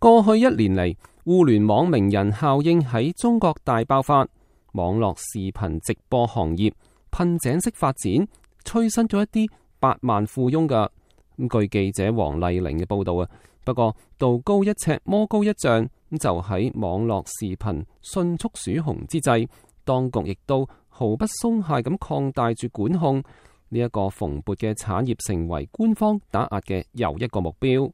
過去一年嚟，互聯網名人效應喺中國大爆發，網絡視頻直播行業噴井式發展，催生咗一啲百萬富翁㗎。據記者黃麗玲嘅報道啊，不過道高一尺，魔高一丈，就喺網絡視頻迅速鼠紅之際，當局亦都毫不鬆懈咁擴大住管控，呢一個蓬勃嘅產業成為官方打壓嘅又一個目標。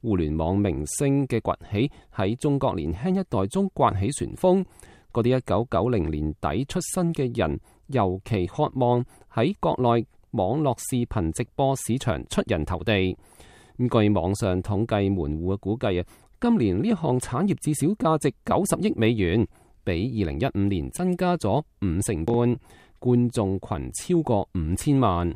互聯網明星嘅崛起喺中國年輕一代中颳起旋風，嗰啲1990年底出生嘅人尤其渴望喺國內網絡視頻直播市場出人頭地。據網上統計門戶嘅估計啊，今年呢項產業至少價值90億美元，比2015年增加咗5成半，觀眾群超過5000萬。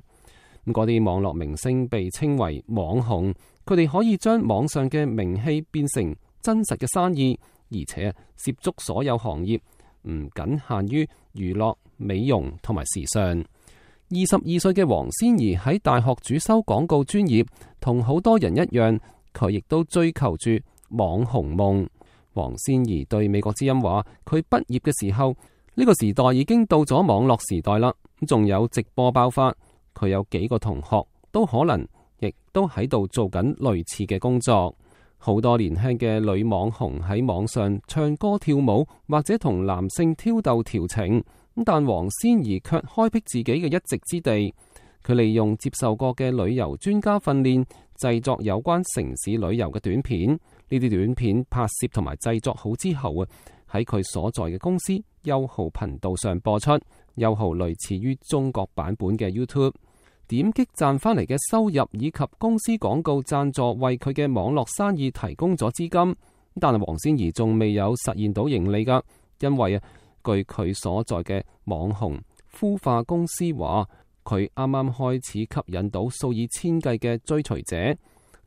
嗰啲網絡明星被稱為網紅，佢哋可以將網上嘅名氣變成真實嘅生意，而且涉足所有行業，唔僅限於娛樂、美容同埋時尚。22歲嘅黃仙怡喺大學主修廣告專業，同好多人一樣，佢亦都追求住網紅夢。黃仙怡對美國之音話，佢畢業嘅時候，呢個時代已經到咗網絡時代啦，仲有直播爆發。佢有幾個同學都可能亦都喺度做緊類似嘅工作。好多年輕嘅女網紅喺網上唱歌跳舞，或者同男性挑逗調情，但黃仙怡卻開闢自己嘅一席之地。佢利用接受過嘅旅遊專家訓練，製作有關城市旅遊嘅短片。呢啲短片拍攝同埋製作好之後啊，喺佢所在嘅公司優酷頻道上播出。優酷類似於中國版本嘅 YouTube。點擊賺翻嚟嘅收入以及公司廣告贊助為佢嘅網絡生意提供咗資金，但係黃仙怡仲未有實現到盈利噶，因為啊，據佢所在嘅網紅孵化公司話，佢啱啱開始吸引到數以千計嘅追隨者。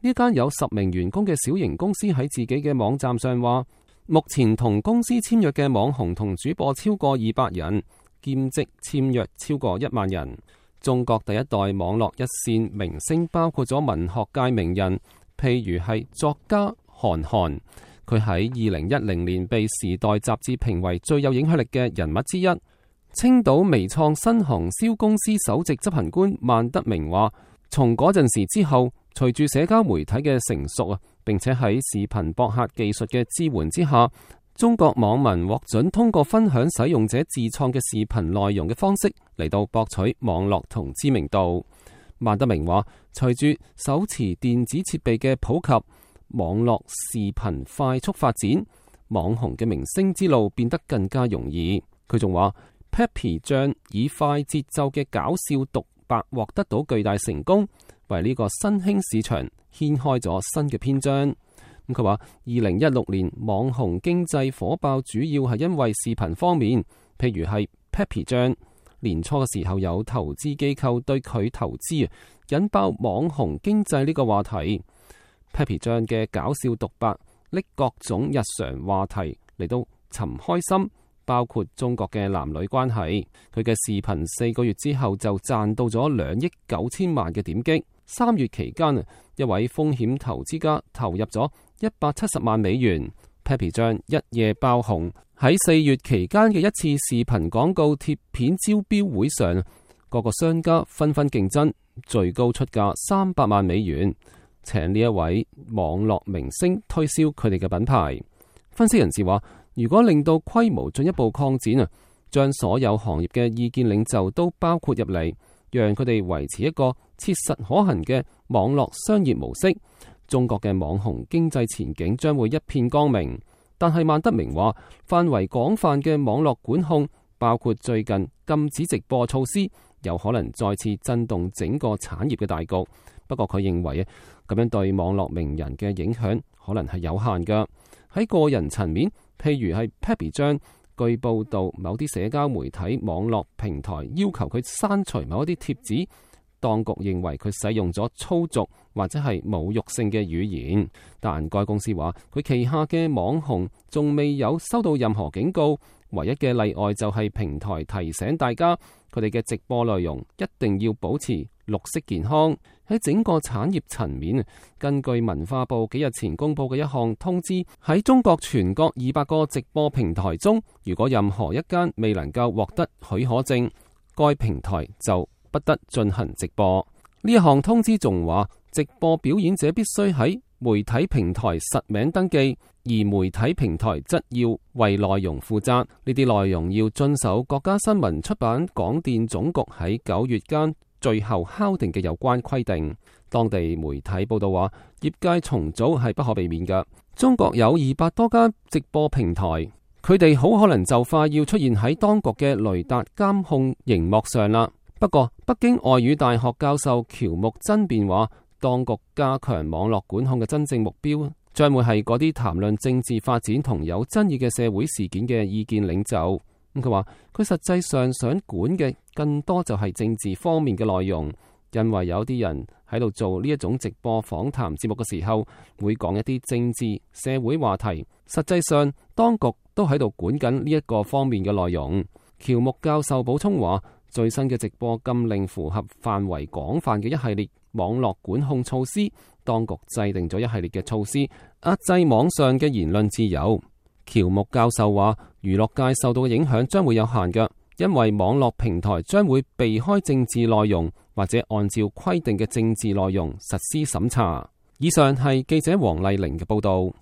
呢間有10名員工嘅小型公司喺自己嘅網站上話，目前同公司簽約嘅網紅同主播超過200人，兼職簽約超過1萬人。中國第一代網絡一線明星包括咗文學界名人，譬如係作家韓寒，佢喺2010年被《時代》雜誌評為最有影響力嘅人物之一。青島微創新行銷公司首席執行官萬德明話，從嗰陣時之後，隨住社交媒體嘅成熟啊，並且喺視頻博客技術嘅支援之下，中國網民獲准通過分享使用者自創嘅視頻內容嘅方式嚟到博取網絡同知名度。萬德明話，隨住手持電子設備嘅普及，網絡視頻快速發展，網紅嘅明星之路變得更加容易。佢仲話 Papi 醬以快節奏嘅搞笑獨白獲得到巨大成功，為呢個新興市場掀開咗新嘅篇章。佢話2016年網紅經濟火爆，主要係因為視頻方面，譬如係 Papi 醬年初嘅時候有投資機構對佢投資，引爆網紅經濟呢個話題。Papi 醬嘅搞笑獨白，拎各種日常話題嚟到尋開心，包括中國嘅男女關係。佢嘅視頻4個月之後就賺到咗2億9千萬嘅點擊。3月期間，一位風險投資家投入咗170萬美元。Papi 醬一夜爆紅。喺4月期間嘅一次視頻廣告貼片招標會上，各個商家紛紛競爭，最高出價300萬美元，請呢一位網絡明星推銷佢哋嘅品牌。分析人士話，如果令到規模進一步擴展啊，將所有行業嘅意見領袖都包括入嚟，讓佢哋維持一個切實可行嘅網絡商業模式，中國嘅網紅經濟前景將會一片光明。但係萬德明話，範圍廣泛嘅網絡管控，包括最近禁止直播措施，有可能再次震動整個產業嘅大局。不過佢認為咁樣對網絡名人嘅影響可能係有限㗎。喺個人層面，譬如係 Papi 醬，據報道某啲社交媒體網絡平台要求佢刪除某一啲貼紙，當局認為佢使用咗粗俗或者係侮辱性嘅語言，但該公司話佢旗下嘅網紅仲未有收到任何警告，唯一嘅例外就係平台提醒大家佢哋嘅直播內容一定要保持綠色健康。喺整個產業層面，根據文化部幾日前公布嘅一項通知，喺中國全國200個直播平台中，如果任何一間未能夠獲得許可證，該平台就不得進行直播。呢一項通知仲話，直播表演者必須喺媒體平台實名登記，而媒體平台則要為內容負責。呢啲內容要遵守國家新聞出版廣電總局喺9月間最後敲定嘅有關規定。當地媒體報道話，業界重組係不可避免嘅。中國有200多間直播平台，佢哋好可能就快要出現喺當局嘅雷達監控熒幕上啦。不過，北京外語大學教授喬木真辯話，當局加強網絡管控嘅真正目標，將會係嗰啲談論政治發展同有爭議嘅社會事件嘅意見領袖。佢話佢實際上想管嘅更多就係政治方面嘅內容，因為有啲人喺度做呢一種直播訪談節目嘅時候，會講一啲政治社會話題。實際上，當局都喺度管緊呢一個方面嘅內容。喬木教授補充話，最新嘅直播禁令符合範圍廣泛嘅一系列網絡管控措施，當局制定咗一系列嘅措施，壓制網上嘅言論自由。喬木教授話，娛樂界受到嘅影響將會有限嘅，因為網絡平台將會避開政治內容，或者按照規定嘅政治內容實施審查。以上係記者黃麗玲嘅報道。